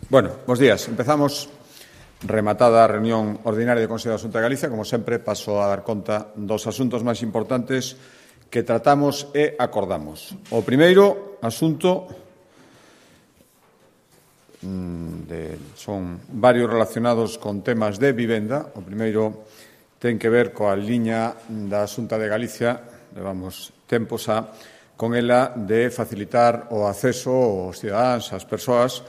Bueno, bos días. Empezamos rematada a reunión ordinaria do Consello da Xunta de Galicia. Como sempre, paso a dar conta dos asuntos máis importantes que tratamos e acordamos. O primeiro asunto son varios relacionados con temas de vivenda. O primeiro ten que ver coa liña da Xunta de Galicia, levamos tempos con ela, de facilitar o acceso aos cidadáns, ás persoas,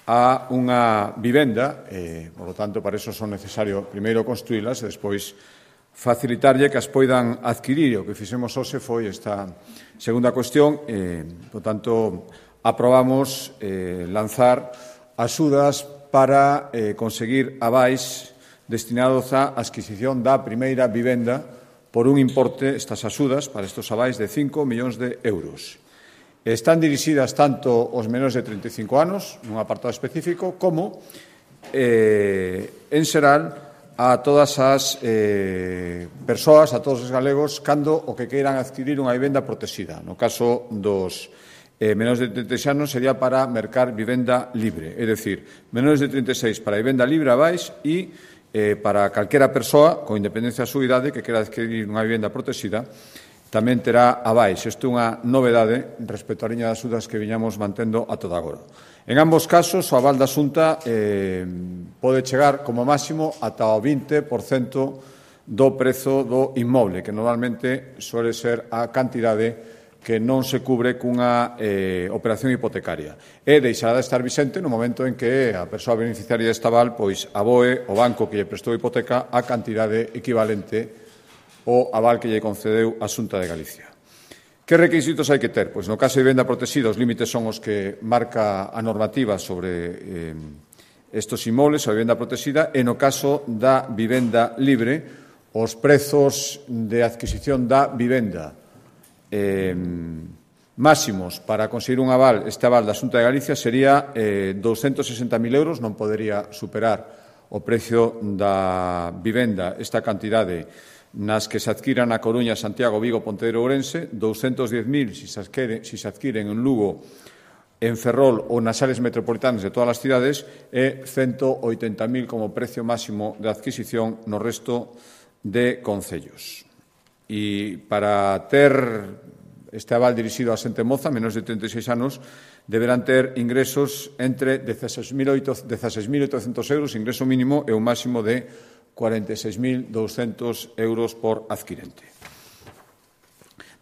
a unha vivenda, por lo tanto, para iso son necesario primeiro construílas e despois facilitarlle que as poidan adquirir. O que fixemos hoxe foi esta segunda cuestión, por tanto, aprobamos lanzar axudas para conseguir avais destinados á adquisición da primeira vivenda por un importe, estas axudas, para estes avais, de 5 millóns de euros. Están dirixidas tanto aos menores de 35 anos, nun apartado específico, como, en xeral, a todas as persoas, a todos os galegos, cando o que queiran adquirir unha vivenda protexida. No caso dos menores de 36 anos sería para mercar vivenda libre, é dicir, menores de 36 para vivenda libre avais e para calquera persoa, con independencia da súa idade, que quera adquirir unha vivenda protexida, tamén terá avais. Isto é unha novedade respecto á liña das axudas que viñamos mantendo a toda agora. En ambos casos, o aval da Xunta pode chegar como máximo ata o 20% do prezo do inmoble, que normalmente suele ser a cantidade que non se cubre cunha operación hipotecaria. E deixará de estar vixente no momento en que a persoa beneficiaria deste aval pois aboe o banco que lle prestou a hipoteca a cantidade equivalente o aval que lle concedeu a Xunta de Galicia. Que requisitos hai que ter? Pois no caso de vivenda protexida, os límites son os que marca a normativa sobre estes inmobles, a vivenda protexida, e no caso da vivenda libre, os prezos de adquisición da vivenda máximos para conseguir un aval, este aval da Xunta de Galicia, sería 260.000 euros, non podería superar o precio da vivenda esta cantidade nas que se adquiran a Coruña, Santiago, Vigo, Pontevedra e Ourense, 210.000 se se adquiren en Lugo, en Ferrol ou nas áreas metropolitanas de todas as cidades e 180.000 como precio máximo de adquisición no resto de concellos. E para ter este aval dirixido a xente moza, menos de 36 anos, deberán ter ingresos entre 16.800 euros, ingreso mínimo, e un máximo de 46.200 euros por adquirente.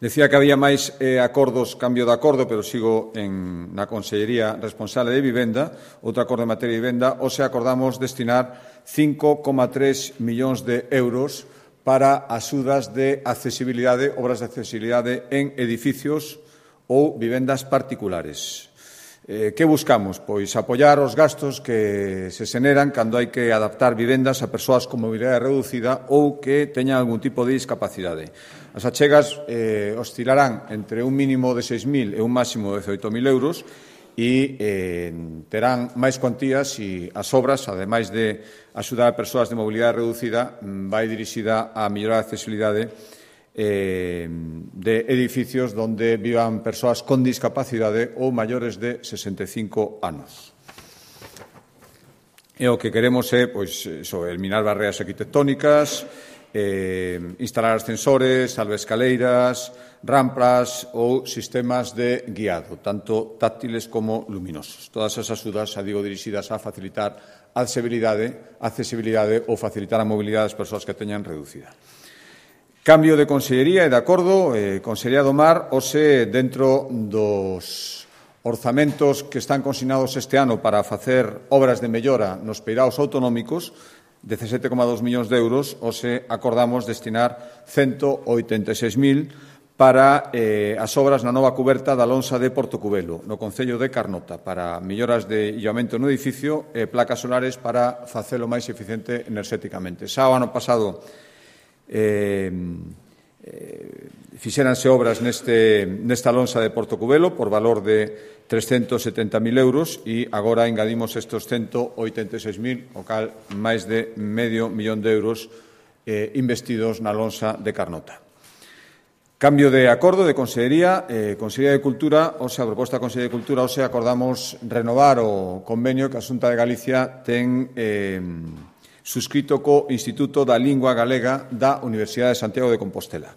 Decía que había máis acordos, cambio de acordo, pero sigo na Consellería responsable de vivenda, outro acordo en materia de vivenda, hoxe acordamos destinar 5,3 millóns de euros para axudas de accesibilidade, obras de accesibilidade en edificios ou vivendas particulares. Que buscamos? Pois apoiar os gastos que se xeneran cando hai que adaptar vivendas a persoas con mobilidade reducida ou que teñan algún tipo de discapacidade. As achegas oscilarán entre un mínimo de 6.000 e un máximo de 18.000 euros e terán máis cuantías e as obras, ademais de axudar a persoas de mobilidade reducida, vai dirixida a mellorar a accesibilidade de edificios donde vivan persoas con discapacidade ou maiores de 65 anos. E o que queremos é eliminar barreras arquitectónicas, instalar ascensores, alvescaleiras, rampas ou sistemas de guiado, tanto táctiles como luminosos. Todas esas axudas, dirixidas a facilitar a accesibilidade ou facilitar a mobilidade das persoas que teñan reducida. Cambio de consellería e de acordo, Consellería do Mar, hoxe, dentro dos orzamentos que están consignados este ano para facer obras de mellora nos peiraos autonómicos, 17,2 millóns de euros, hoxe acordamos destinar 186.000 para as obras na nova cuberta da lonxa de Portocubelo, no concello de Carnota, para melloras de illamento no edificio e placas solares para facelo máis eficiente enerxéticamente. Xa o ano pasado fixéranse obras nesta lonxa de Portocubelo por valor de 370.000 euros e agora engadimos estes 186.000, o cal máis de medio millón de euros investidos na lonxa de Carnota. Cambio de acordo de Consellería, Consellería de Cultura, a proposta da Consellería de Cultura, acordamos renovar o convenio que a Xunta de Galicia ten suscrito co Instituto da Lingua Galega da Universidade de Santiago de Compostela.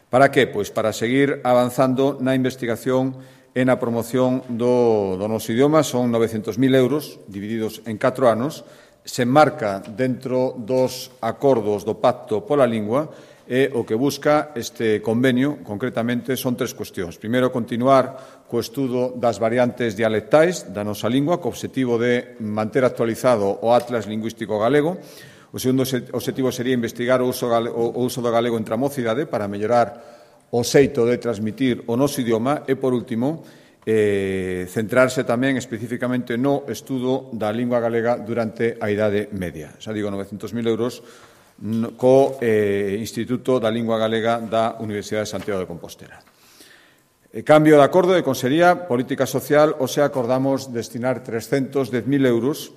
Para que? Pois para seguir avanzando na investigación e na promoción do noso idioma. Son 900.000 euros divididos en 4 anos. Se enmarca dentro dos acordos do Pacto pola Lingua e o que busca este convenio, concretamente, son 3 cuestións. Primeiro, continuar co estudo das variantes dialectais da nosa lingua, co obxectivo de manter actualizado o Atlas Lingüístico Galego. O segundo obxectivo sería investigar o uso do galego entre a mocidade para mellorar o xeito de transmitir o noso idioma e, por último, centrarse tamén especificamente no estudo da lingua galega durante a Idade Media. Xa digo, 900.000 euros co Instituto da Lingua Galega da Universidade de Santiago de Compostela. Cambio de acordo de Consellería, Política Social, acordamos destinar 310.000 euros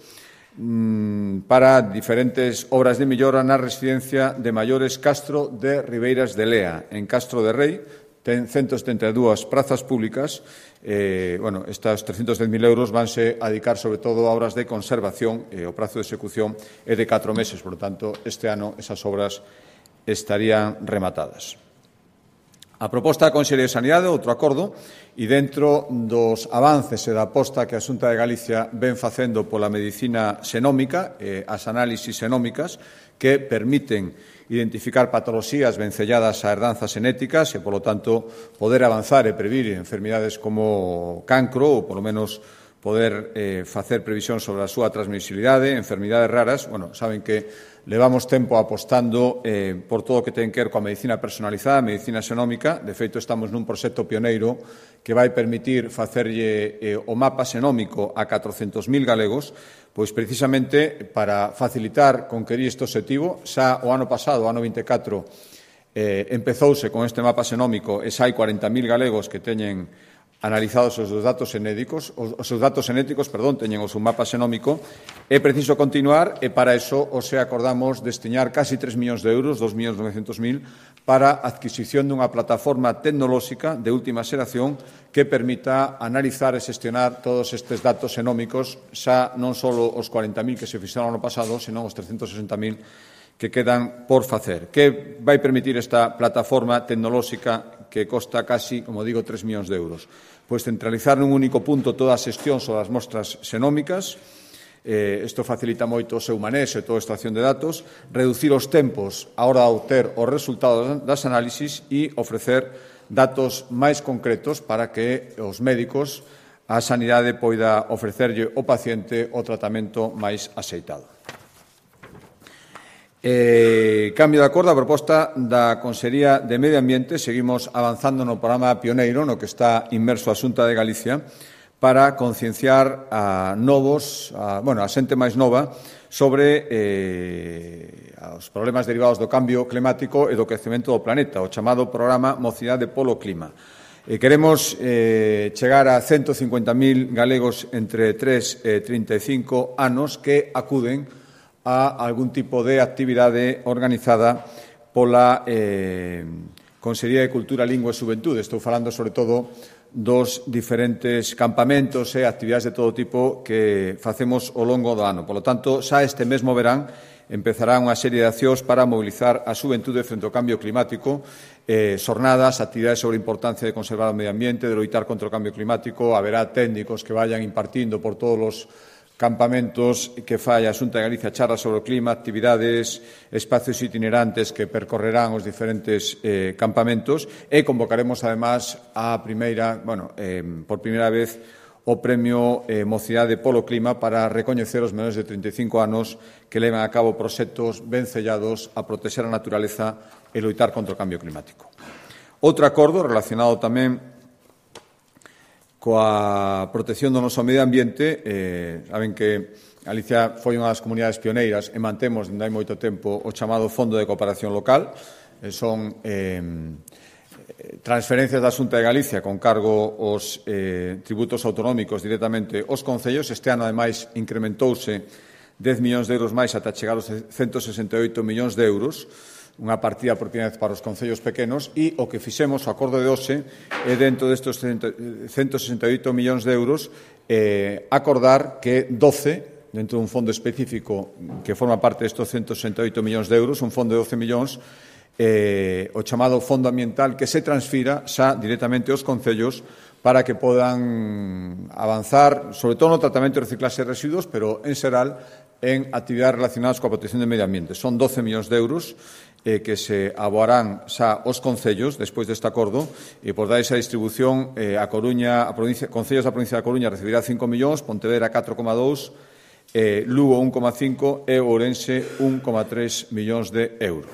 para diferentes obras de mellora na residencia de maiores Castro de Ribeiras de Lea, en Castro de Rei. Ten 172 prazas públicas. Estas 310.000 euros vanse a dedicar sobre todo a obras de conservación. O prazo de execución é de 4 meses, por lo tanto, este ano esas obras estarían rematadas. A proposta da Consellería de Sanidade, outro acordo, e dentro dos avances e da aposta que a Xunta de Galicia ven facendo pola medicina xenómica, as análisis xenómicas, que permiten identificar patoloxías vencelladas a herdanzas xenéticas e, polo tanto, poder avanzar e previr enfermidades como cancro ou, polo menos, poder facer previsión sobre a súa transmisibilidade, enfermidades raras. Saben que levamos tempo apostando por todo o que ten que ver coa medicina personalizada, a medicina xenómica. De feito, estamos nun proxecto pioneiro que vai permitir facerlle o mapa xenómico a 400.000 galegos, pois precisamente para facilitar conquerir este obxectivo. Xa o ano pasado, o ano 24, empezouse con este mapa xenómico e xa hai 40.000 galegos que teñen analizados os seus datos xenéticos, teñen o seu mapa xenómico. É preciso continuar e para iso acordamos destinar casi 3 millóns de euros, 2.900.000, para a adquisición dunha plataforma tecnolóxica de última xeración que permita analizar e xestionar todos estes datos xenómicos, xa non só os 40.000 que se fixeron ano pasado, senón os 360.000 que quedan por facer. Que vai permitir esta plataforma tecnolóxica que costa casi, como digo, 3 millóns de euros? Pois centralizar nun único punto toda a xestión sobre as mostras xenómicas. Isto facilita moito o seu manexo e toda a extracción de datos, reducir os tempos a hora de obter os resultados das análisis e ofrecer datos máis concretos para que os médicos, a sanidade, poida ofrecerlle ao paciente o tratamento máis axeitado. Cambio de acordo, a proposta da Consellería de Medio Ambiente. Seguimos avanzando no programa pioneiro no que está inmerso a Xunta de Galicia para concienciar a xente máis nova sobre os problemas derivados do cambio climático e do crecemento do planeta, o chamado programa Mocidade polo Clima. Queremos chegar a 150.000 galegos entre 3 e 35 anos que acuden a algún tipo de actividade organizada pola Consellería de Cultura, Lingua e Xuventude. Estou falando, sobre todo, dos diferentes campamentos e actividades de todo tipo que facemos ao longo do ano. Por lo tanto, xa este mesmo verán empezará unha serie de accións para mobilizar a xuventude frente ao cambio climático, xornadas, actividades sobre a importancia de conservar o medio ambiente, de loitar contra o cambio climático. Haberá técnicos que vayan impartindo por todos os campamentos que fai a Xunta de Galicia, charlas sobre o clima, actividades, espacios itinerantes que percorrerán os diferentes campamentos, e convocaremos, además, por primeira vez, o Premio Mocidade polo Clima para recoñecer os menores de 35 anos que levan a cabo proxectos ben sellados a protexer a naturaleza e loitar contra o cambio climático. Outro acordo relacionado tamén coa protección do noso medio ambiente. Saben que Galicia foi unha das comunidades pioneiras e mantemos dende hai moito tempo o chamado Fondo de Cooperación Local. Son transferencias da Xunta de Galicia con cargo aos tributos autonómicos directamente aos concellos. Este ano, ademais, incrementouse 10 millóns de euros máis ata chegar aos 168 millóns de euros. unha partida por primeira vez para os concellos pequenos e o que fixemos, o acordo de hoxe, é dentro destes 168 millóns de euros acordar que 12, dentro dun fondo específico que forma parte destes 168 millóns de euros, un fondo de 12 millóns, o chamado fondo ambiental, que se transfira xa directamente aos concellos para que podan avanzar, sobre todo no tratamento de reciclaxe de residuos, pero en xeral en actividades relacionadas coa protección do medio ambiente. Son 12 millóns de euros que se aboarán xa os concellos despois deste acordo e por dar esa distribución a Coruña, concellos da provincia da Coruña recibirá 5 millóns, Pontevedra 4,2, Lugo 1,5 e Ourense 1,3 millóns de euros.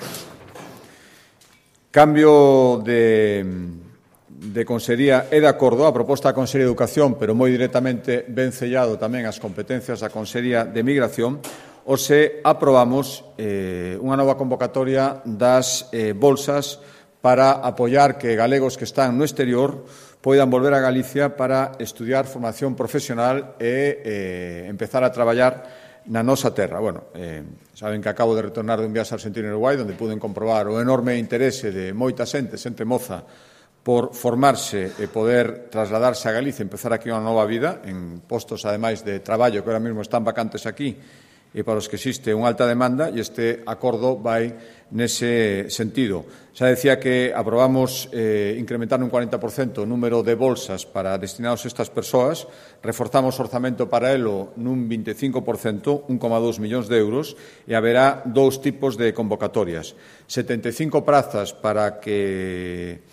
Cambio de Consellería é de acordo a proposta da Consellería de Educación, pero moi directamente ben sellado tamén as competencias da Consellería de Migración, hoxe aprobamos unha nova convocatoria das bolsas para apoiar que galegos que están no exterior poidan volver a Galicia para estudiar formación profesional e empezar a traballar na nosa terra. Bueno, saben que acabo de retornar dun viaxe a Argentina e Uruguai, onde puden comprobar o enorme interese de moita xente moza, por formarse e poder trasladarse a Galicia e empezar aquí unha nova vida en postos, ademais, de traballo que ahora mesmo están vacantes aquí e para os que existe unha alta demanda, e este acordo vai nese sentido. Xa decía que aprobamos incrementar un 40% o número de bolsas para destinados a estas persoas, reforzamos o orzamento para elo nun 25%, 1,2 millóns de euros, e haberá dous tipos de convocatorias. 75 prazas para que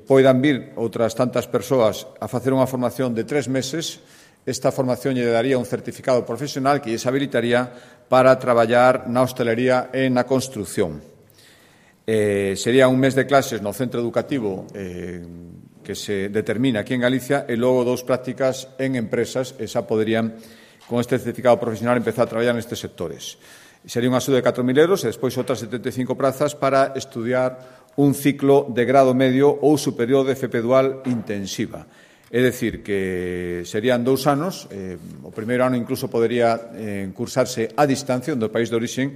poidan vir outras tantas persoas a facer unha formación de 3 meses. Esta formación lle daría un certificado profesional que lles habilitaría para traballar na hostelería e na construción. Sería un mes de clases no centro educativo que se determina aquí en Galicia e logo 2 prácticas en empresas e xa poderían, con este certificado profesional, empezar a traballar nestes sectores. Sería unha axuda de 4.000 euros e despois outras 75 prazas para estudiar un ciclo de grado medio ou superior de FP Dual intensiva. É dicir, que serían 2 anos, o primeiro ano incluso podería cursarse a distancia do país de orixen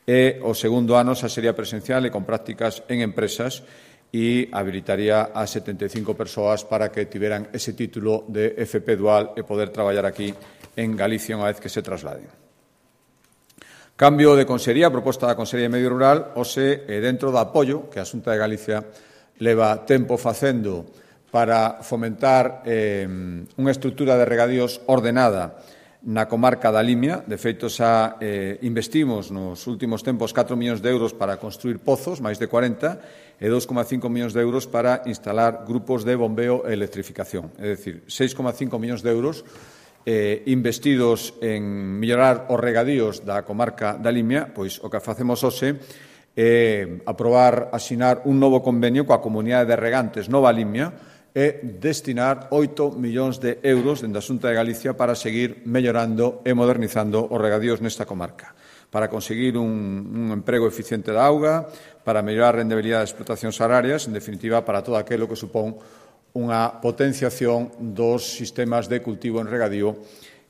e o segundo ano xa sería presencial e con prácticas en empresas e habilitaría a 75 persoas para que tiveran ese título de FP Dual e poder traballar aquí en Galicia unha vez que se trasladen. Cambio de Consellería, proposta da Consellería de Medio Rural, hoxe dentro do apoio que a Xunta de Galicia leva tempo facendo para fomentar unha estrutura de regadíos ordenada na comarca da Limia. De feito, xa investimos nos últimos tempos 4 millóns de euros para construir pozos, máis de 40, e 2,5 millóns de euros para instalar grupos de bombeo e electrificación. É dicir, 6,5 millóns de euros investidos en mellorar os regadíos da comarca da Limia. Pois o que facemos hoxe é aprobar, asinar un novo convenio coa Comunidade de Regantes Nova Limia e destinar 8 millóns de euros dende a Xunta de Galicia para seguir mellorando e modernizando os regadíos nesta comarca, para conseguir un emprego eficiente da auga, para mellorar a rendibilidade das explotacións agrarias, en definitiva, para todo aquilo que supón unha potenciación dos sistemas de cultivo en regadío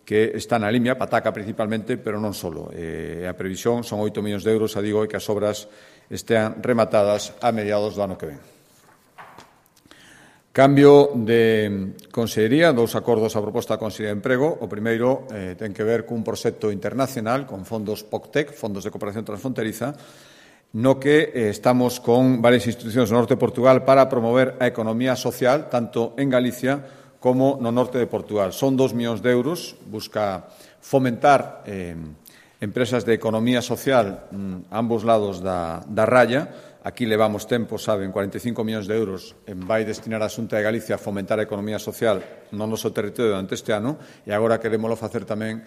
que está na Limia, Pataca principalmente, pero non só. A previsión son 8 millóns de euros, e que as obras estean rematadas a mediados do ano que ven. Cambio de Consellería, 2 acordos a proposta da Consellería de Emprego. O primeiro ten que ver cun proxecto internacional con fondos POCTEC, Fondos de Cooperación Transfronteriza, no que estamos con varias institucións no norte de Portugal para promover a economía social, tanto en Galicia como no norte de Portugal. Son 2 millóns de euros, busca fomentar empresas de economía social a ambos lados da raya. Aquí levamos tempo, saben, 45 millóns de euros vai destinar a Xunta de Galicia a fomentar a economía social no noso territorio durante este ano, e agora queremoslo facer tamén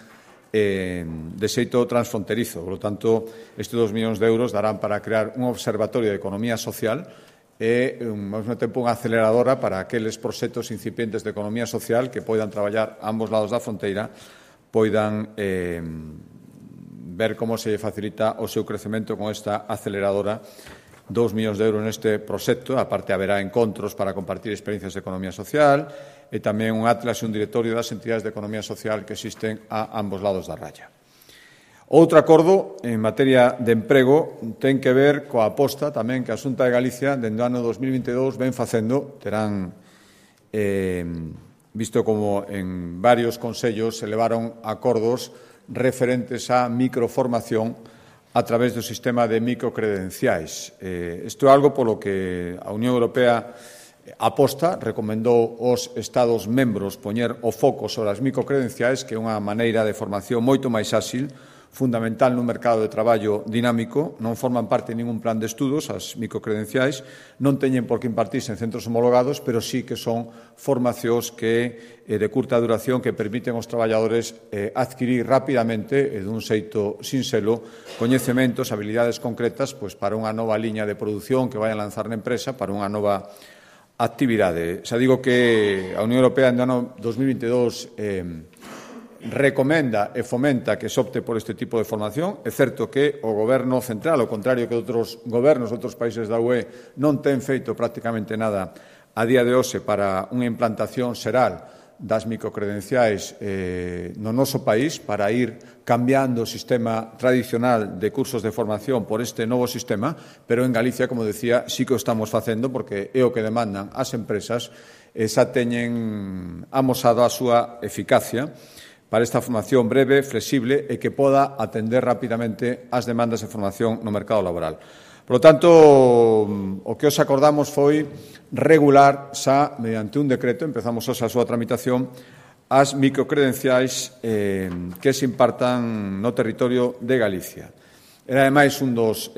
de xeito transfronterizo. Por lo tanto, estes 2 millóns de euros darán para crear un observatorio de economía social e, ao mesmo tempo, unha aceleradora para aqueles proxectos incipientes de economía social que poidan traballar a ambos lados da fronteira, poidan ver como se facilita o seu crecemento con esta aceleradora. 2 millóns de euros neste proxecto, aparte haberá encontros para compartir experiencias de economía social e tamén un atlas e un directorio das entidades de economía social que existen a ambos lados da raya. Outro acordo en materia de emprego ten que ver coa aposta tamén que a Xunta de Galicia dende o ano 2022 ven facendo. Terán visto como en varios consellos se levaron acordos referentes á microformación a través do sistema de microcredenciais. Isto é algo polo que a Unión Europea aposta, recomendou aos Estados membros poñer o foco sobre as microcredenciais, que é unha maneira de formación moito máis áxil, fundamental nun mercado de traballo dinámico. Non forman parte de ningún plan de estudos as microcredenciais, non teñen por que impartirse en centros homologados, pero sí que son formacións de curta duración que permiten aos traballadores adquirir rapidamente e dun xeito sinxelo coñecementos, habilidades concretas para unha nova liña de produción que vai a lanzar na empresa, para unha nova actividade. Xa digo que a Unión Europea no ano 2022 recomenda e fomenta que se opte por este tipo de formación. É certo que o Goberno central, ao contrario que outros gobernos de outros países da UE, non ten feito prácticamente nada a día de hoxe para unha implantación xeral das microcredenciais no noso país, para ir cambiando o sistema tradicional de cursos de formación por este novo sistema, pero en Galicia, como decía, sí que o estamos facendo porque é o que demandan as empresas e xa teñen amosado a súa eficacia para esta formación breve, flexible e que poda atender rapidamente as demandas de formación no mercado laboral. Por lo tanto, o que os acordamos foi regular xa, mediante un decreto, empezamos hoxe a súa tramitación, as microcredenciais que se impartan no territorio de Galicia. Era, ademais, un dos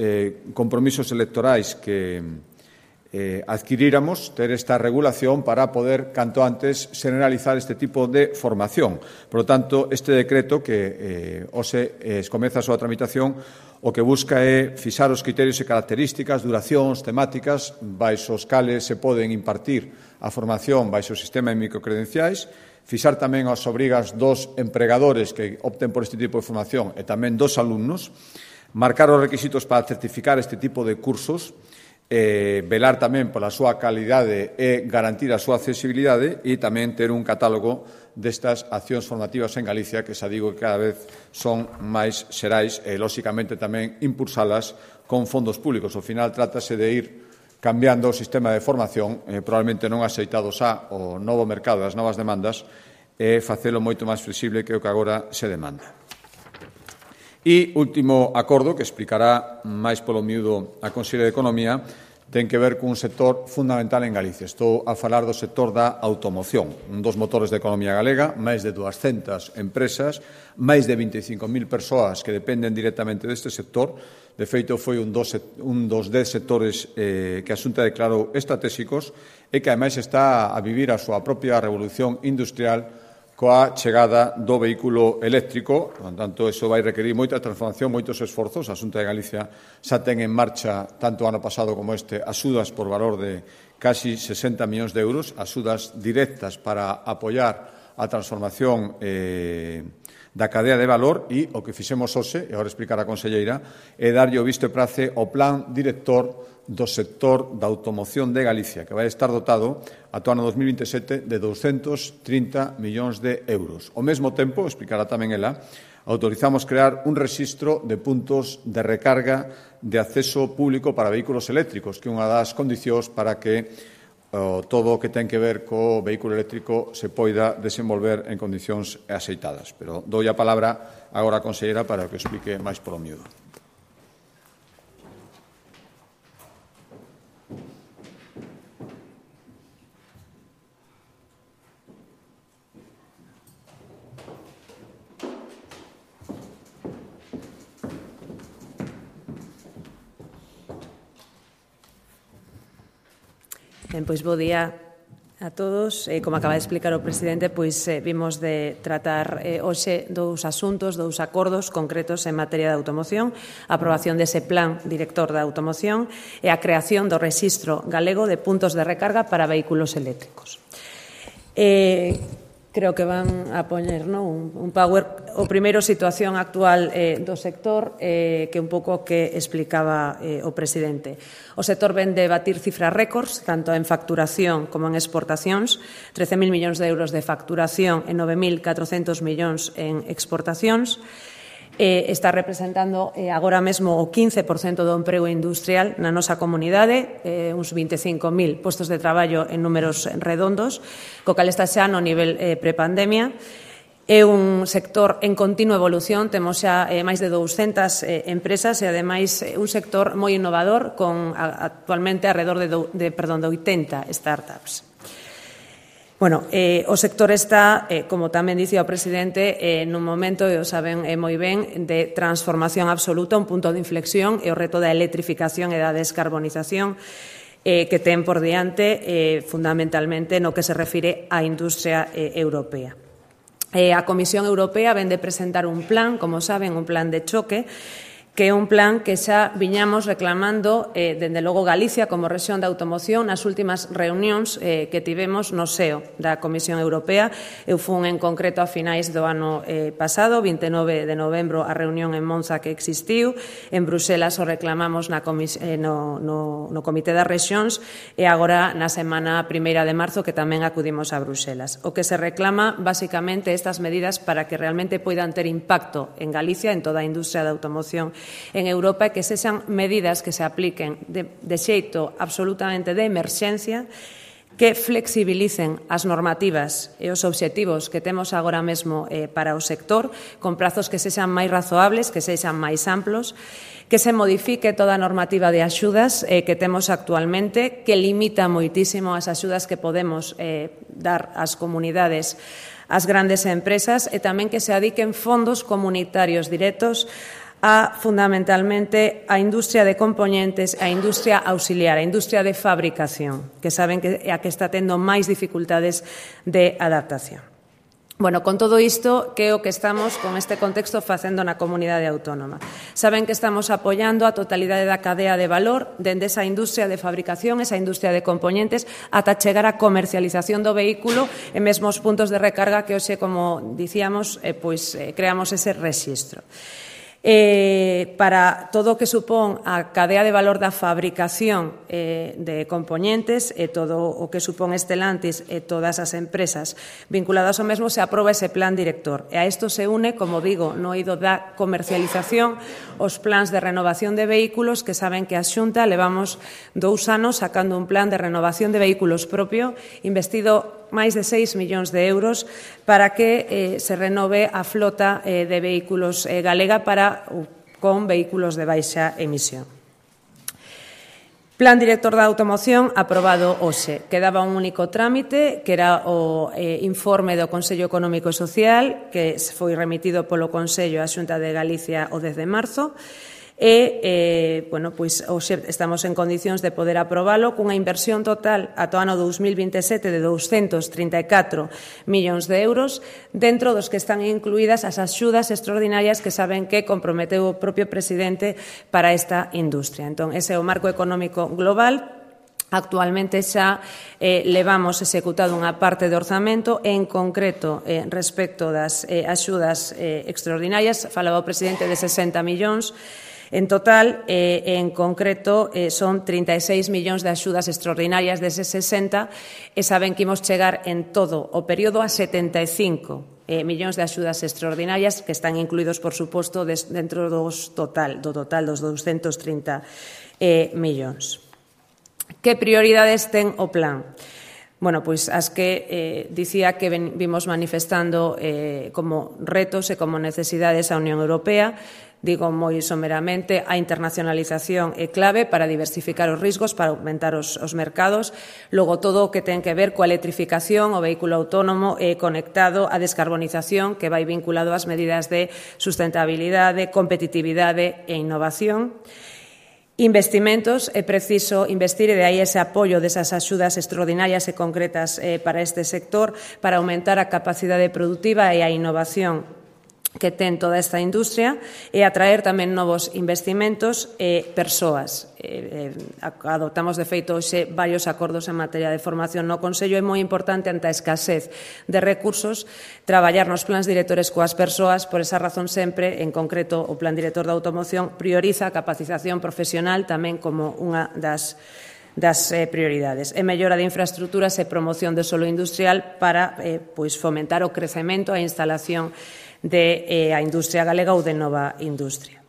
compromisos electorais que adquiríramos, ter esta regulación para poder, canto antes, generalizar este tipo de formación. Por lo tanto, este decreto que hoxe comeza a súa tramitación, o que busca é fixar os criterios e características, duracións, temáticas, baixo os cales se poden impartir a formación baixo o sistema de microcredenciais, fixar tamén as obrigas dos empregadores que opten por este tipo de formación e tamén dos alumnos, marcar os requisitos para certificar este tipo de cursos, velar tamén pola súa calidade e garantir a súa accesibilidade e tamén ter un catálogo destas accións formativas en Galicia que xa digo que cada vez son máis xerais e, lóxicamente, tamén impulsalas con fondos públicos. Ao final, trátase de ir cambiando o sistema de formación, probablemente non axeitado xa o novo mercado das novas demandas, e facelo moito máis flexible que o que agora se demanda. E último acordo, que explicará máis polo miúdo a Conselleira de Economía, ten que ver cun sector fundamental en Galicia. Estou a falar do sector da automoción, un dos motores da economía galega, máis de 200 empresas, máis de 25.000 persoas que dependen directamente deste sector. De feito, foi un dos 10 sectores que a Xunta declarou estratégicos e que, ademais, está a vivir a súa propia revolución industrial coa chegada do vehículo eléctrico. Por tanto, iso vai requerir moita transformación, moitos esforzos. A Xunta de Galicia xa ten en marcha, tanto o ano pasado como este, axudas por valor de casi 60 millóns de euros, axudas directas para apoiar a transformación da cadea de valor, e o que fixemos hoxe, e agora explicar a conselleira, é darlle o visto e prace ao plan director do sector da automoción de Galicia, que vai estar dotado ata o ano 2027 de 230 millóns de euros. Ao mesmo tempo, explicará tamén ela, autorizamos crear un rexistro de puntos de recarga de acceso público para vehículos eléctricos, que é unha das condicións para que todo o que ten que ver co vehículo eléctrico se poida desenvolver en condicións axeitadas. Pero dou a palabra agora á conselleira para que explique máis polo miúdo. Pois bo día a todos. Como acaba de explicar o presidente, pois vimos de tratar hoxe dous asuntos, dous acordos concretos en materia de automoción, a aprobación dese plan director da automoción e a creación do rexistro galego de puntos de recarga para vehículos eléctricos. Creo que van a poñer un power. O primeiro, situación actual do sector, que un pouco que explicaba o presidente. O sector ven de batir cifras récords, tanto en facturación como en exportacións, 13.000 millóns de euros de facturación e 9.400 millóns en exportacións. está representando agora mesmo o 15% do emprego industrial na nosa comunidade, uns 25.000 postos de traballo en números redondos, co cal está xa no nivel prepandemia. É un sector en continua evolución, temos xa máis de 200 empresas e, ademais, un sector moi innovador con actualmente alrededor de 80 startups. Bueno, o sector está, como tamén dicía o presidente, nun momento, e o saben moi ben, de transformación absoluta, un punto de inflexión, e o reto da electrificación e da descarbonización que ten por diante, fundamentalmente, no que se refire á industria europea. A Comisión Europea vén de presentar un plan, como saben, un plan de choque, que é un plan que xa viñamos reclamando, dende logo Galicia como rexión de automoción, nas últimas reunións que tivemos no SEO da Comisión Europea. Eu fun en concreto a finais do ano pasado, 29 de novembro, a reunión en Monza que existiu. En Bruxelas o reclamamos no Comité das Rexións e agora na semana 1 de marzo que tamén acudimos a Bruxelas. O que se reclama, basicamente, estas medidas para que realmente poidan ter impacto en Galicia, en toda a industria da automoción en Europa, que sexan medidas que se apliquen de xeito absolutamente de emerxencia, que flexibilicen as normativas e os obxectivos que temos agora mesmo para o sector, con prazos que sexan máis razoables, que sexan máis amplos, que se modifique toda a normativa de axudas que temos actualmente, que limita moitísimo as axudas que podemos dar ás comunidades, ás grandes empresas, e tamén que se adiquen fondos comunitarios directos fundamentalmente a industria de componentes, a industria auxiliar, a industria de fabricación, que saben que é a que está tendo máis dificultades de adaptación. Bueno, con todo isto, que é o que estamos con este contexto facendo na comunidade autónoma? Saben que estamos apoiando a totalidade da cadea de valor dende esa industria de fabricación, esa industria de componentes, ata chegar á comercialización do vehículo e mesmo os puntos de recarga que hoxe, como dicíamos, creamos ese rexistro. Para todo o que supón a cadea de valor da fabricación de componentes e todo o que supón Stellantis e todas as empresas vinculadas ao mesmo, se aproba ese plan director. E a isto se une, como digo, no eido da comercialización, os plans de renovación de vehículos, que saben que a Xunta levamos 2 anos sacando un plan de renovación de vehículos propio, investido máis de 6 millóns de euros para que se renove a flota de vehículos galega con vehículos de baixa emisión. Plan director da automoción aprobado hoxe. Quedaba un único trámite, que era o informe do Consello Económico e Social, que foi remitido polo Consello á Xunta de Galicia o 10 de marzo, e, hoxe estamos en condicións de poder aprobalo cunha inversión total ata o ano 2027 de 234 millóns de euros, dentro dos que están incluídas as axudas extraordinarias que saben que comprometeu o propio presidente para esta industria. Entón, ese é o marco económico global. Actualmente xa levamos executado unha parte de orzamento, en concreto respecto das axudas extraordinarias, falaba o presidente de 60 millóns. En total, en concreto, son 36 millóns de axudas extraordinarias deses 60 e saben que imos chegar en todo o período a 75 millóns de axudas extraordinarias que están incluídos, por suposto, dentro do total dos 230 millóns. Que prioridades ten o plan? Bueno, pois as que dicía que vimos manifestando como retos e como necesidades a Unión Europea. Digo moi someramente, a internacionalización é clave para diversificar os riscos, para aumentar os mercados. Logo, todo o que ten que ver coa electrificación, o vehículo autónomo conectado, a descarbonización, que vai vinculado ás medidas de sustentabilidade, competitividade e innovación. Investimentos, é preciso investir e de aí ese apoio desas axudas extraordinarias e concretas para este sector, para aumentar a capacidade productiva e a innovación que ten toda esta industria e atraer tamén novos investimentos e persoas. Adoptamos, de feito, hoxe varios acordos en materia de formación no Consello. É moi importante, ante a escasez de recursos, traballar nos plans directores coas persoas. Por esa razón, sempre, en concreto, o Plan Director da Automoción prioriza a capacitación profesional tamén como unha das prioridades. E mellora de infraestructuras e promoción de solo industrial para fomentar o crecemento e a instalación de a industria galega ou de nova industria.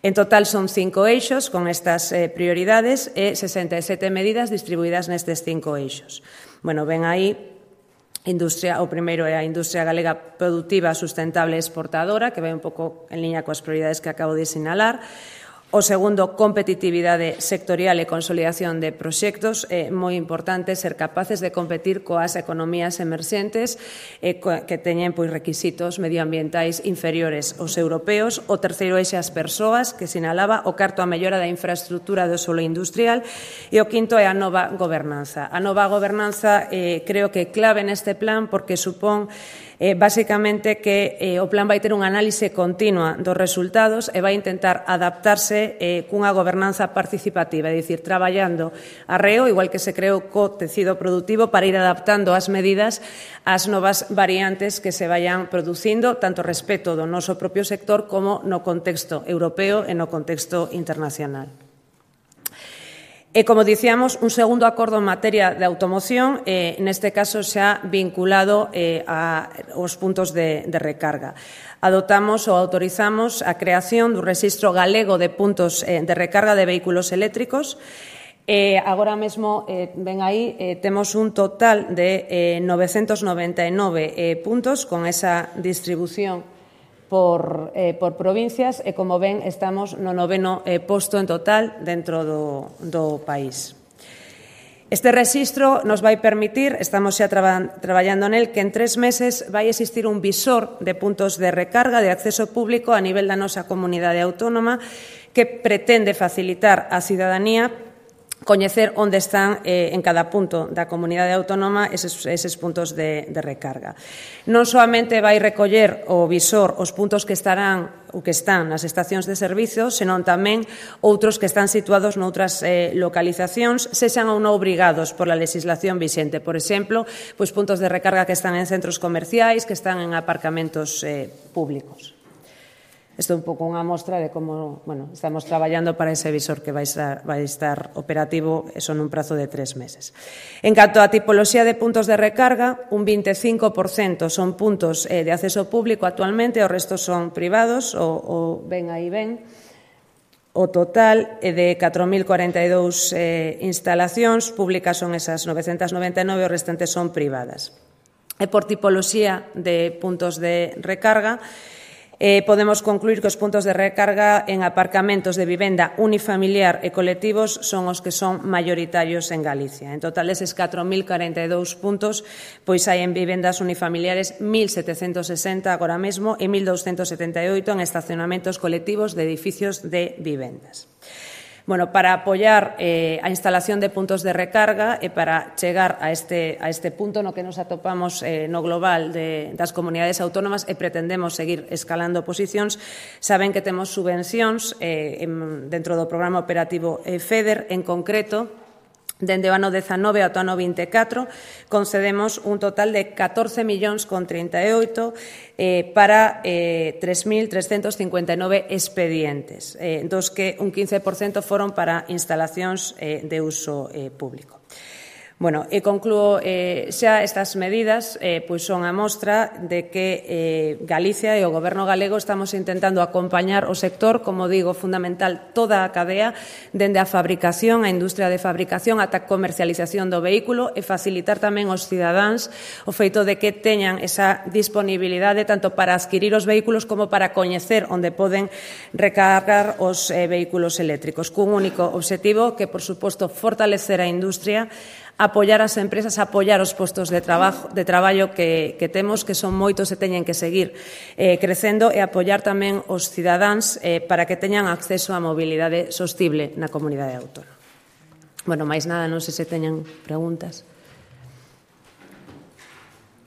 En total son 5 eixos con estas prioridades e 67 medidas distribuídas nestes 5 eixos. Bueno, ven aí o primeiro é a industria galega productiva, sustentable e exportadora, que vai un pouco en liña coas prioridades que acabo de sinalar. O segundo, competitividade sectorial e consolidación de proxectos. É moi importante ser capaces de competir coas economías emerxentes que teñen requisitos medioambientais inferiores aos europeos. O terceiro eixe, as persoas, que sinalaba. O cuarto, a mellora da infraestructura do solo industrial. E o quinto é a nova gobernanza. A nova gobernanza creo que é clave neste plan porque supón basicamente que o plan vai ter unha análise continua dos resultados e vai intentar adaptarse cunha gobernanza participativa, é dicir, traballando arreo, igual que se creou co tecido productivo, para ir adaptando as medidas ás novas variantes que se vayan producindo, tanto respecto do noso propio sector como no contexto europeo e no contexto internacional. E, como dicíamos, un segundo acordo en materia de automoción, neste caso xa vinculado aos puntos de recarga. Adoptamos ou autorizamos a creación do Rexistro Galego de Puntos de Recarga de Vehículos Eléctricos. Agora mesmo, ven aí, temos un total de 999 puntos con esa distribución por provincias e, como ven, estamos no 9º posto en total dentro do país. Este rexistro nos vai permitir, estamos xa traballando nel, que en 3 meses vai existir un visor de puntos de recarga de acceso público a nivel da nosa comunidade autónoma que pretende facilitar á cidadanía coñecer onde están en cada punto da comunidade autónoma eses puntos de recarga. Non soamente vai recoller o visor os puntos que estarán ou que están nas estacións de servizo, senón tamén outros que están situados noutras localizacións, sexan ou non obrigados pola legislación vixente. Por exemplo, puntos de recarga que están en centros comerciais, que están en aparcamentos públicos. Isto é un pouco unha mostra de como estamos traballando para ese visor que vai estar operativo son un prazo de 3 meses. En canto á tipoloxía de puntos de recarga, un 25% son puntos de acceso público actualmente, o resto son privados, o ven aí ven. O total de 4.042 instalacións públicas son esas 999, o restante son privadas. E por tipoloxía de puntos de recarga, podemos concluir que os puntos de recarga en aparcamentos de vivenda unifamiliar e colectivos son os que son maioritarios en Galicia. En total, deses 4.042 puntos, pois hai en vivendas unifamiliares 1.760 agora mesmo e 1.278 en estacionamentos colectivos de edificios de vivendas. Para apoiar a instalación de puntos de recarga e para chegar a este punto no que nos atopamos no global das comunidades autónomas e pretendemos seguir escalando posicións, saben que temos subvencións dentro do programa operativo FEDER. En concreto, dende o ano 19 ao ano 24, concedemos un total de 14.038 para 3.359 expedientes, dos que un 15% foron para instalacións de uso público. E concluo xa estas medidas, pois son a mostra de que Galicia e o Goberno galego estamos intentando acompañar o sector, como digo, fundamental toda a cadea, dende a fabricación, a industria de fabricación, ata a comercialización do vehículo e facilitar tamén aos cidadáns o feito de que teñan esa disponibilidade tanto para adquirir os vehículos como para coñecer onde poden recargar os vehículos eléctricos, cun único obxectivo que, por suposto, fortalecer a industria, apoiar as empresas, apoiar os postos de traballo que temos, que son moitos e teñen que seguir crecendo, e apoiar tamén os cidadáns para que teñan acceso á mobilidade sostible na comunidade autónoma. Máis nada, non sei se teñan preguntas.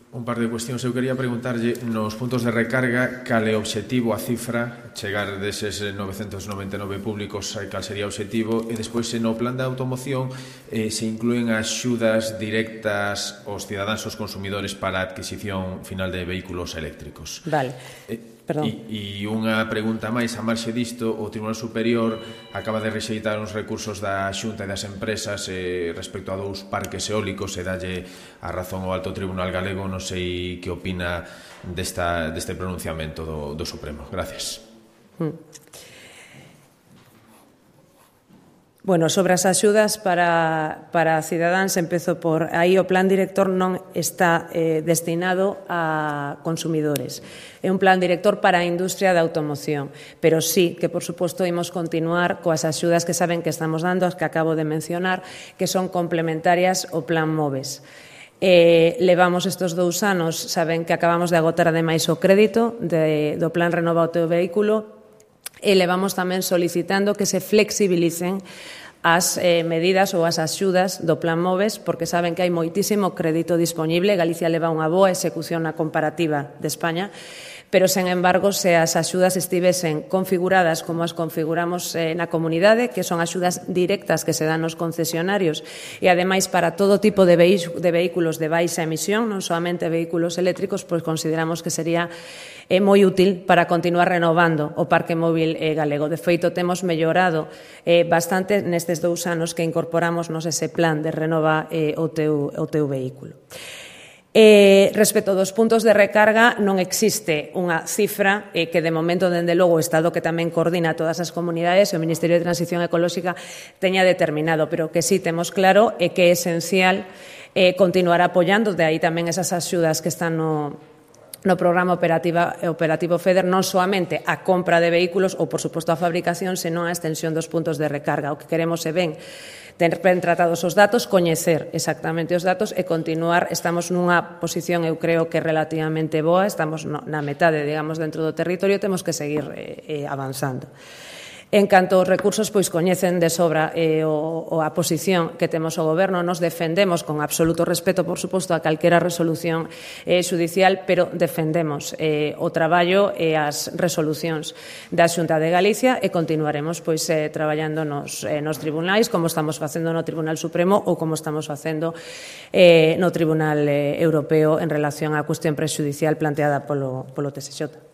Un par de cuestións. Eu quería preguntarlle nos puntos de recarga cal é o obxectivo, a cifra, chegar deses 999 públicos, cal sería o obxectivo, e despois no plan de automoción se inclúen axudas directas aos cidadáns, aos consumidores para a adquisición final de vehículos eléctricos. Vale. E unha pregunta máis a marxe disto, o Tribunal Superior acaba de rexeitar uns recursos da Xunta e das empresas respecto a 2 parques eólicos e dalle a razón ao Alto Tribunal Galego. Non sei que opina deste pronunciamento do Supremo. Gracias. Bueno, sobre as axudas para cidadáns, empezo por aí o plan director non está destinado a consumidores. É un plan director para a industria da automoción, pero sí que, por suposto, imos continuar coas axudas que saben que estamos dando, as que acabo de mencionar, que son complementarias ao plan MOVES. Levamos estes 2 anos, saben que acabamos de agotar ademais o crédito do plan Renova o teu vehículo, e levamos tamén solicitando que se flexibilicen as medidas ou as axudas do plan MOVES, porque saben que hai moitísimo crédito disponible. Galicia leva unha boa execución na comparativa de España, pero, sen embargo, se as axudas estivesen configuradas como as configuramos na comunidade, que son axudas directas que se dan aos concesionarios e, ademais, para todo tipo de vehículos de baixa emisión, non solamente vehículos eléctricos, pois consideramos que sería moi útil para continuar renovando o parque móvil galego. De feito, temos mellorado bastante nestes 2 anos que incorporamos ese plan de renova o teu vehículo. Respecto dos puntos de recarga, non existe unha cifra que, de momento, dende logo, o Estado, que tamén coordina todas as comunidades, e o Ministerio de Transición Ecolóxica teña determinado, pero que sí temos claro é que é esencial continuar apoiando, de aí tamén esas axudas que están no programa operativo FEDER, non soamente a compra de vehículos ou, por suposto, a fabricación, senón a extensión dos puntos de recarga. O que queremos é ter ben tratados os datos, coñecer exactamente os datos e continuar. Estamos nunha posición, eu creo, que relativamente boa, estamos na metade, digamos, dentro do territorio, temos que seguir avanzando. En canto aos recursos, pois coñecen de sobra a posición que temos o Goberno. Nos defendemos con absoluto respeto, por suposto, a calquera resolución xudicial, pero defendemos o traballo e as resolucións da Xunta de Galicia e continuaremos pois traballando nos tribunais, como estamos facendo no Tribunal Supremo ou como estamos facendo no Tribunal Europeo en relación á cuestión prexudicial planteada polo TSX.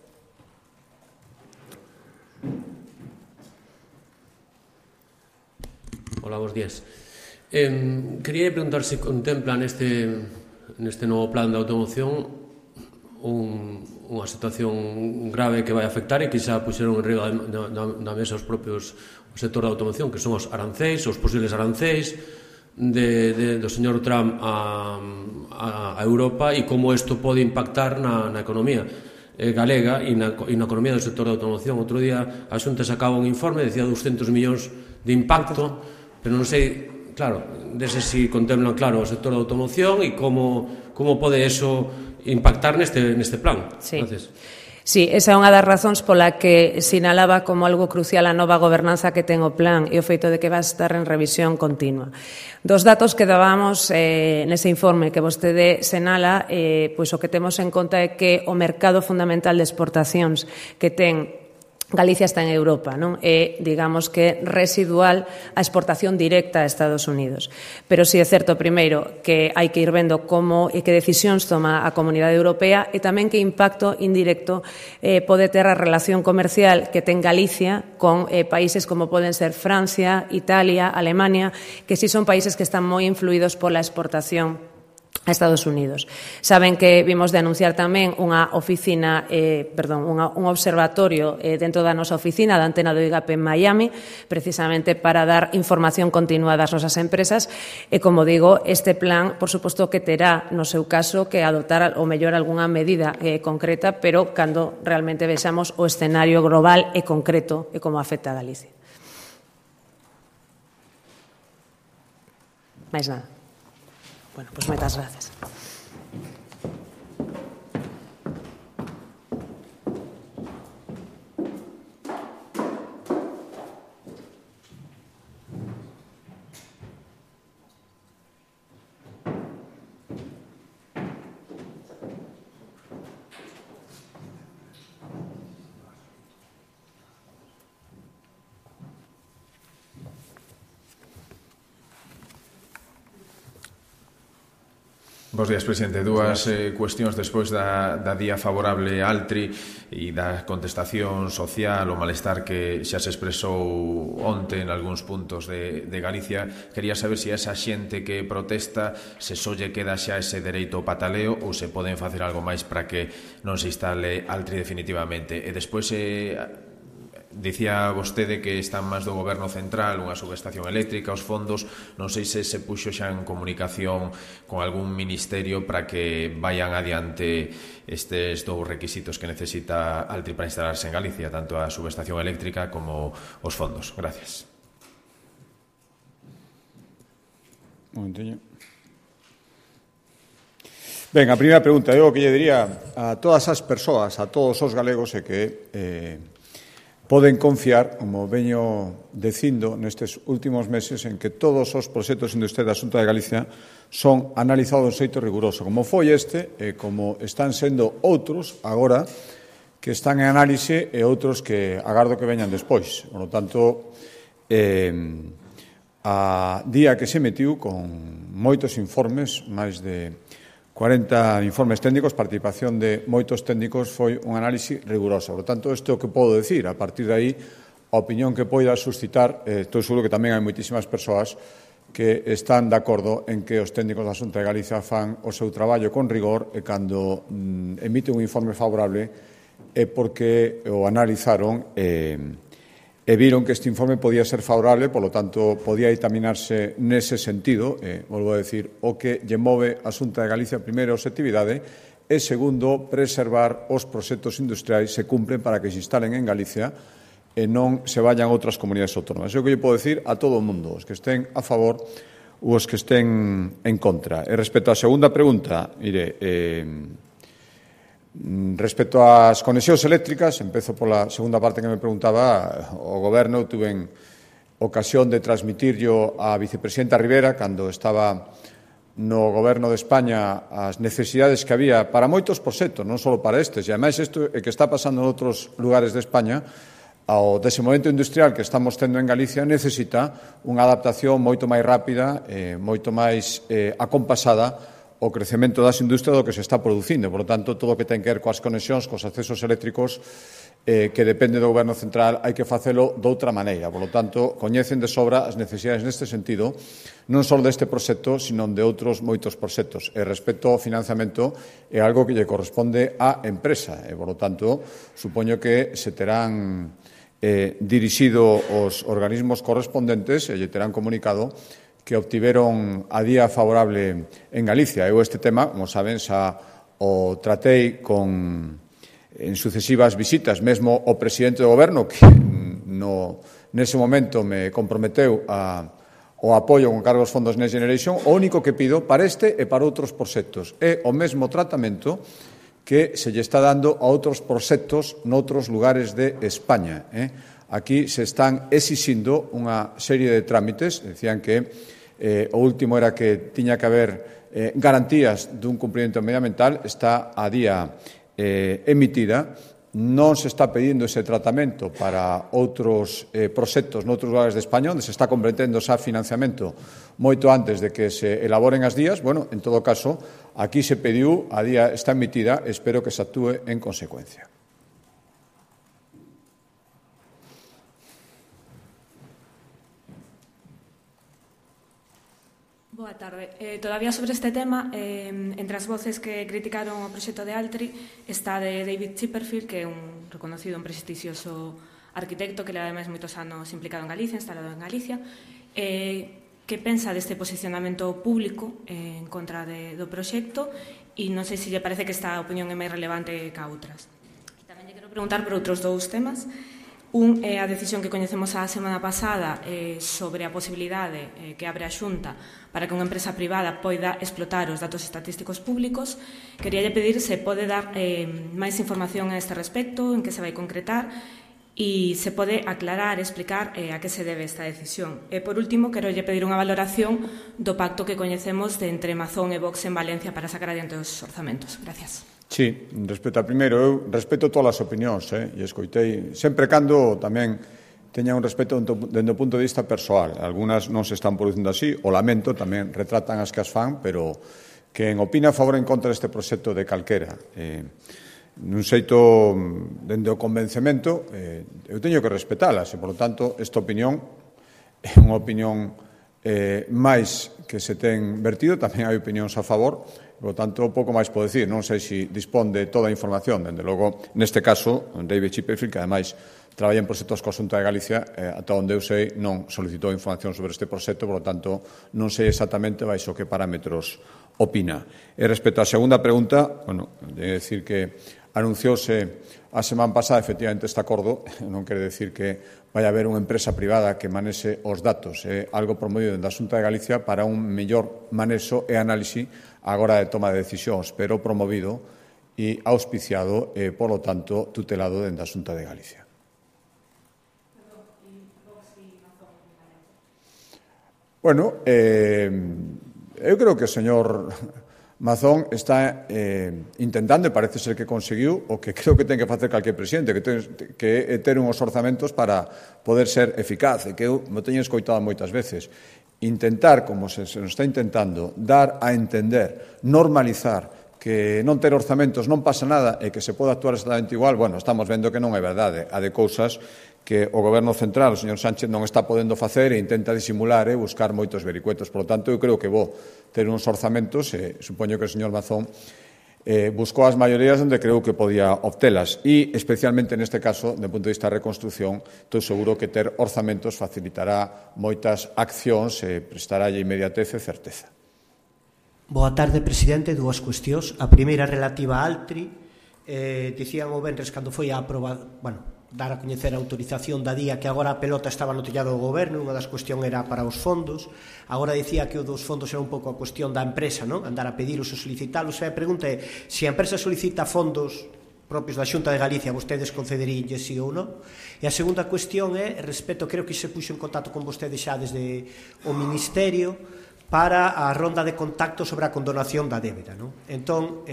Hola, bons días. Quería preguntar se contempla neste novo plan de automoción unha situación grave que vai afectar e que xa puxeron en riba da mesa o sector da automoción, que son os arancéis, os posibles arancéis do señor Trump a Europa e como isto pode impactar na economía galega e na economía do sector da automoción. Outro día a Xunta sacaba un informe, decía 200 millóns de impacto, pero non sei, claro, dese si contemplan claro o sector da automoción e como pode eso impactar neste plan. Sí. Sí, esa é unha das razóns pola que sinalaba como algo crucial a nova gobernanza que ten o plan e o feito de que va a estar en revisión continua. Dos datos que dábamos nese informe que vostede senala, pois o que temos en conta é que o mercado fundamental de exportacións que ten Galicia está en Europa, non? É, digamos que, residual a exportación directa a Estados Unidos. Pero si é certo, primeiro, que hai que ir vendo como e que decisións toma a Comunidade Europea e tamén que impacto indirecto pode ter a relación comercial que ten Galicia con países como poden ser Francia, Italia, Alemania, que si son países que están moi influídos pola exportación a Estados Unidos. Saben que vimos de anunciar tamén unha oficina, un observatorio dentro da nosa oficina da antena do IGAP en Miami, precisamente para dar información continua das nosas empresas e, como digo, este plan, por suposto, que terá, no seu caso, que adoptar ou mellor algunha medida concreta, pero cando realmente vexamos o escenario global e concreto e como afecta a Galicia. Mais nada. Bueno, pues moitas gracias. Bos días, presidente. Dúas cuestións despois da día favorable a Altri e da contestación social o malestar que xa se expresou onte en algúns puntos de Galicia. Quería saber se esa xente que protesta se só lle queda xa ese dereito ao pataleo ou se poden facer algo máis para que non se instale Altri definitivamente. E despois dicía vostede que están máis do goberno central, unha subestación eléctrica, os fondos, non sei se se puxo xa en comunicación con algún ministerio para que vayan adiante estes dous requisitos que necesita Altri para instalarse en Galicia, tanto a subestación eléctrica como os fondos. Gracias. Un momentinho. Ben, a primeira pregunta, eu o que lle diría a todas as persoas, a todos os galegos, é que poden confiar, como veño dicindo nestes últimos meses, en que todos os proxectos industriais da Xunta de Galicia son analizados de xeito riguroso, como foi este e como están sendo outros agora que están en análise e outros que agardo que veñan despois. Por lo tanto, a día que se emitiu con moitos informes, máis de 40 informes técnicos, participación de moitos técnicos, foi un análise riguroso. Por tanto, isto é o que podo decir. A partir de aí, a opinión que poida suscitar, estou seguro que tamén hai moitísimas persoas que están de acordo en que os técnicos da Xunta de Galicia fan o seu traballo con rigor e cando emite un informe favorable é porque o analizaron e viron que este informe podía ser favorable, polo tanto, podía dictaminarse nese sentido, volvo a decir, o que lle move a Xunta de Galicia, primeiro, a obxectividade, e, segundo, preservar os proxectos industriais se cumplen para que se instalen en Galicia e non se vayan a outras comunidades autónomas. É o que lle podo decir a todo o mundo, os que estén a favor ou os que estén en contra. E respecto á segunda pregunta, respecto ás conexións eléctricas, empezo pola segunda parte que me preguntaba, o Goberno tuve ocasión de transmitirlo á vicepresidenta Rivera cando estaba no Goberno de España as necesidades que había para moitos proxectos, non só para estes, e ademais isto é que está pasando en outros lugares de España. O desenvolvemento industrial que estamos tendo en Galicia necesita unha adaptación moito máis rápida, moito máis acompasada o crecemento das industrias do que se está producindo. Por lo tanto, todo o que ten que ver coas conexións, cos accesos eléctricos, que depende do Goberno central, hai que facelo de outra maneira. Por lo tanto, coñecen de sobra as necesidades neste sentido, non só deste proxecto, sino de outros moitos proxectos. E respecto ao financiamento, é algo que lle corresponde á empresa. E, por lo tanto, supoño que se terán dirixido os organismos correspondentes e lle terán comunicado que obtiveron a día favorable en Galicia. Eu este tema, como saben, xa o tratei en sucesivas visitas, mesmo o presidente do Goberno, que nese momento me comprometeu o apoio con cargo aos fondos Next Generation. O único que pido para este e para outros proxectos é o mesmo tratamento que se lle está dando a outros proxectos noutros lugares de España. Aquí se están exixindo unha serie de trámites. Decían que o último era que tiña que haber garantías dun cumprimento medioambiental. Está a día emitida. Non se está pedindo ese tratamento para outros proxectos noutros lugares de España, onde se está comprometendo xa financiamento moito antes de que se elaboren as días. Bueno, en todo caso, aquí se pediu, a día está emitida, espero que se actúe en consecuencia. Boa tarde. Todavía sobre este tema, entre as voces que criticaron o proxecto de Altri está de David Chipperfield, que é un reconocido, un prestixioso arquitecto que leva ademais moitos anos implicado en Galicia, instalado en Galicia. Que pensa deste posicionamento público en contra do proxecto e non sei se lle parece que esta opinión é máis relevante que a outras. E tamén lle quero preguntar por outros dous temas. Un é a decisión que coñecemos a semana pasada sobre a posibilidade que abre a Xunta para que unha empresa privada poida explotar os datos estatísticos públicos. Queríalle pedir se pode dar máis información a este respecto, en que se vai concretar e se pode aclarar, explicar a que se debe esta decisión. E, por último, quero lle pedir unha valoración do pacto que coñecemos de entre Mazón e Vox en Valencia para sacar adiante os orzamentos. Gracias. Sí, respecto a primeiro, eu respeto todas as opinións, e escoitei, sempre cando tamén teña un respeto dende o punto de vista persoal. Algunas non se están producindo así, o lamento, tamén retratan as que as fan, pero quen opina a favor ou en contra deste proxecto de calquera, nun xeito dende o convencemento, eu teño que respetalas, e, por lo tanto, esta opinión é unha opinión máis que se ten vertido, tamén hai opinións a favor, por lo tanto, pouco máis podo dicir, non sei se dispón de toda a información, dende logo, neste caso, David Chipperfield, que ademais traballa en proxectos coa Xunta de Galicia, ata onde eu sei non solicitou información sobre este proxecto, por lo tanto, non sei exactamente baixo que parámetros opina. E respecto á segunda pregunta, bueno, de decir que anunciouse a semana pasada efectivamente este acordo, non quere decir que vai haber unha empresa privada que manexe os datos, é algo promovido da Xunta de Galicia para un mellor manexo e análise á hora de toma de decisións, pero promovido e auspiciado e, por lo tanto, tutelado dende a Xunta de Galicia. Bueno, eu creo que o señor Mazón está intentando, e parece ser que conseguiu, o que creo que ten que facer calquer presidente, que é ter uns orzamentos para poder ser eficaz, e que eu me teño escoitado moitas veces. Intentar, como se nos está intentando, dar a entender, normalizar, que non ter orzamentos non pasa nada e que se pode actuar exactamente igual, bueno, estamos vendo que non é verdade. Há de cousas que o Goberno Central, o señor Sánchez, non está podendo facer e intenta disimular e buscar moitos vericuetos. Por lo tanto, eu creo que vou ter uns orzamentos e supoño que o señor Mazón buscou as maiorías onde creu que podía obtelas e, especialmente neste caso, do punto de vista da reconstrucción, estou seguro que ter orzamentos facilitará moitas accións e prestarálle inmediatez e certeza. Boa tarde, presidente. Dúas cuestións. A primeira relativa a Altri. Dicían o venres cando foi a dar a coñecer a autorización da día que agora a pelota estaba no tellado do goberno, unha das cuestións era para os fondos, agora dicía que o dos fondos era un pouco a cuestión da empresa, non? Andar a pedilos ou solicitalos, e a pregunta é, se a empresa solicita fondos propios da Xunta de Galicia, vostedes concederían sí ou non? E a segunda cuestión é, respecto, creo que se puxo en contacto con vostedes xa desde o Ministerio para a ronda de contacto sobre a condonación da débeda, non? Entón,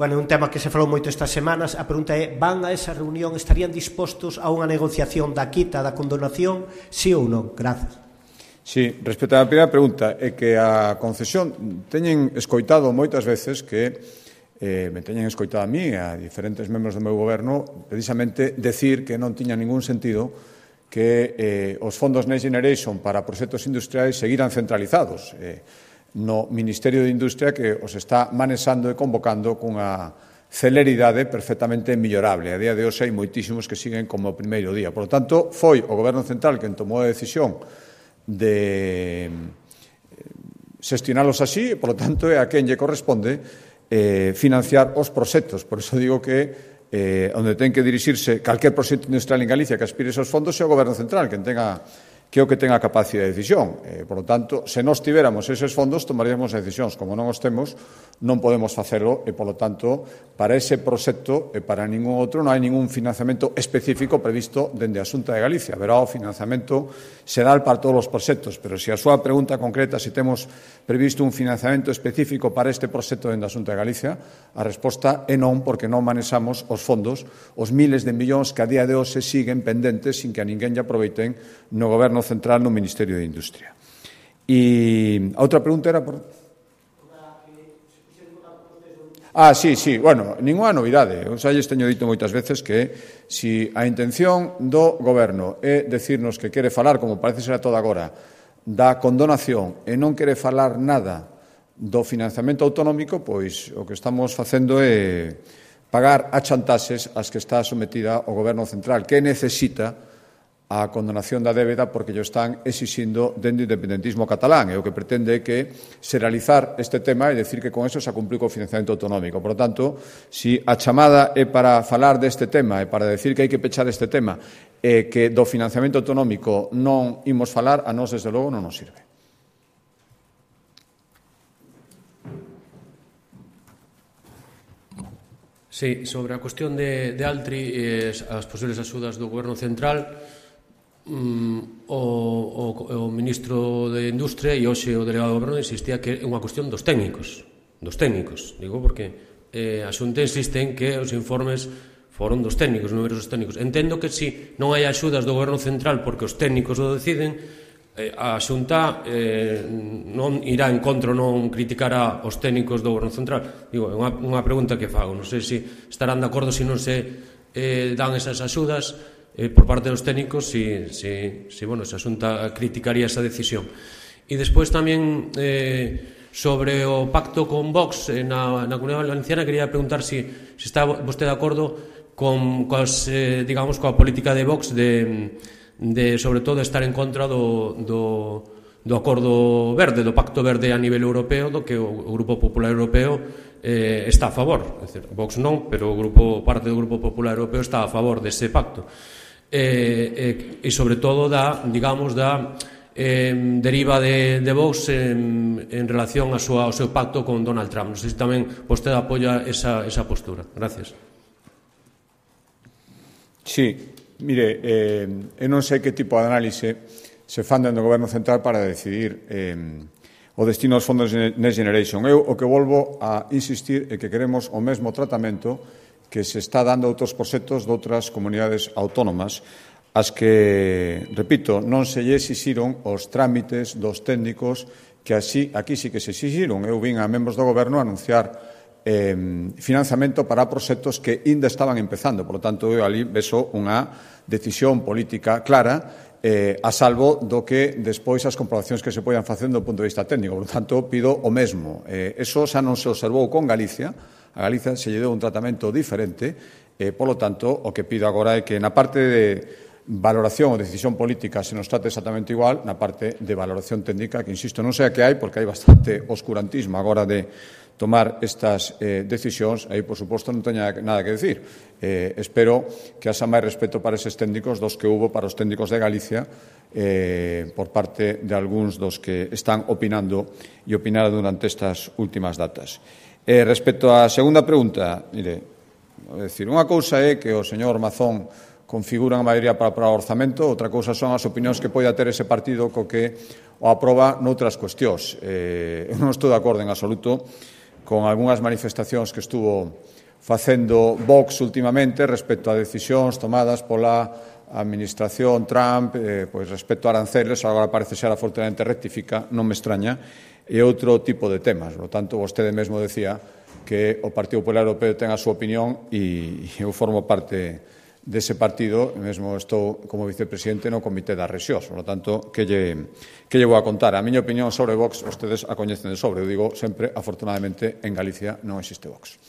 bueno, é un tema que se falou moito estas semanas. A pregunta é, van a esa reunión, estarían dispostos a unha negociación da quita, da condonación, sí ou non? Grazas. Sí, respecto á primeira pregunta, é que a concesión teñen escoitado moitas veces que me teñen escoitado a mí e a diferentes membros do meu goberno precisamente decir que non tiña ningún sentido que os fondos Next Generation para proxectos industriais seguiran centralizados no Ministerio de Industria, que os está manexando e convocando cunha celeridade perfectamente millorable. A día de hoxe hai moitísimos que siguen como o primeiro día. Por lo tanto, foi o Goberno Central quen tomou a decisión de xestionalos así, e, por lo tanto, é a quen lle corresponde financiar os proxectos. Por iso digo que onde ten que dirixirse calquer proxecto industrial en Galicia que aspire esos fondos é o Goberno Central, quen tenga que é o que ten a capacidade de decisión. Por lo tanto, se nós tiveramos eses fondos, tomaríamos decisións. Como non os temos, non podemos facelo e, por lo tanto, para ese proxecto e para ningún outro non hai ningún financiamento específico previsto dende a Xunta de Galicia. Haberá o financiamento xeral para todos os proxectos, pero se a súa pregunta concreta se temos previsto un financiamento específico para este proxecto dende a Xunta de Galicia, a resposta é non, porque non manexamos os fondos, os miles de millóns que a día de hoxe siguen pendentes sin que a ninguén lle aproveiten no Goberno Central no Ministerio de Industria. E a outra pregunta era por... Sí, bueno, ninguna novidade. Eu xa lles teño dito moitas veces que se a intención do Goberno é decirnos que quere falar, como parece ser a toda agora, da condonación e non quere falar nada do financiamento autonómico, pois o que estamos facendo é pagar a chantaxes as que está sometida o Goberno Central, que necesita a condonación da débeda porque llo están exixindo dende o independentismo catalán, e o que pretende é que se realizar este tema e decir que con eso se cumpliu co financiamento autonómico. Por lo tanto, se a chamada é para falar deste tema e para decir que hai que pechar este tema e que do financiamento autonómico non imos falar, a nós, desde logo, non nos sirve. Sí, sobre a cuestión de Altri e as posibles axudas do Goberno Central, o ministro de Industria e hoxe o delegado do Goberno insistía que é unha cuestión dos técnicos, digo, porque a Xunta insiste en que os informes foron dos técnicos, numerosos técnicos. Entendo que se non hai axudas do Goberno Central porque os técnicos o deciden, a Xunta non irá en contra, non criticará os técnicos do Goberno Central. Digo, é unha pregunta que fago. Non sei se estarán de acordo se non se dan esas axudas por parte dos técnicos, se a Xunta criticaría esa decisión. E despois tamén sobre o pacto con Vox na Comunidade Valenciana, quería preguntar se está vostede de acordo coa política de Vox de sobre todo estar en contra do acordo verde, do pacto verde a nivel europeo, do que o Grupo Popular Europeo está a favor. É dicir, Vox non, pero parte do Grupo Popular Europeo está a favor dese pacto. E sobre todo da deriva de Vox en relación ao seu pacto con Donald Trump. Non sei se tamén vostede apoia esa postura. Gracias. Sí. Mire, eu non sei que tipo de análise se fan dentro do Goberno Central para decidir o destino dos fondos Next Generation. Eu o que volvo a insistir é que queremos o mesmo tratamento que se está dando a outros proxectos de outras comunidades autónomas, as que, repito, non se lle exixiron os trámites dos técnicos que aquí sí que se exixiron. Eu vin a membros do Goberno anunciar financiamento para proxectos que ainda estaban empezando. Por lo tanto, eu ali vexo unha decisión política clara a salvo do que despois as comprobacións que se poidan facer do punto de vista técnico. Por lo tanto, pido o mesmo. Eso xa non se observou con Galicia. A Galicia se lle deu un tratamento diferente. Por lo tanto, o que pido agora é que na parte de valoración ou decisión política se nos trate exactamente igual, na parte de valoración técnica, que, insisto, non sei a que hai, porque hai bastante oscurantismo agora de tomar estas decisións, aí, por suposto, non teño nada que decir. Espero que haxa máis respeto para eses técnicos dos que hubo para os técnicos de Galicia por parte de algúns dos que están opinando e opinaron durante estas últimas datas. Respecto á segunda pregunta, mire, unha cousa é que o señor Mazón configura a maioría para aprobar o orzamento, outra cousa son as opinións que poida ter ese partido co que o aproba noutras cuestións. Eu non estou de acordo en absoluto con algunhas manifestacións que estuvo facendo Vox últimamente respecto a decisións tomadas pola administración Trump, pois respecto a aranceles, agora parece ser afortunadamente rectifica, non me extraña, e outro tipo de temas. Por tanto, vostede mesmo decía que o Partido Popular Europeo ten a súa opinión e eu formo parte dese partido, mesmo estou como vicepresidente no Comité das Rexións. Por lo tanto, que lle vou a contar? A miña opinión sobre Vox, vostedes a coñecen de sobre. Eu digo sempre, afortunadamente, en Galicia non existe Vox.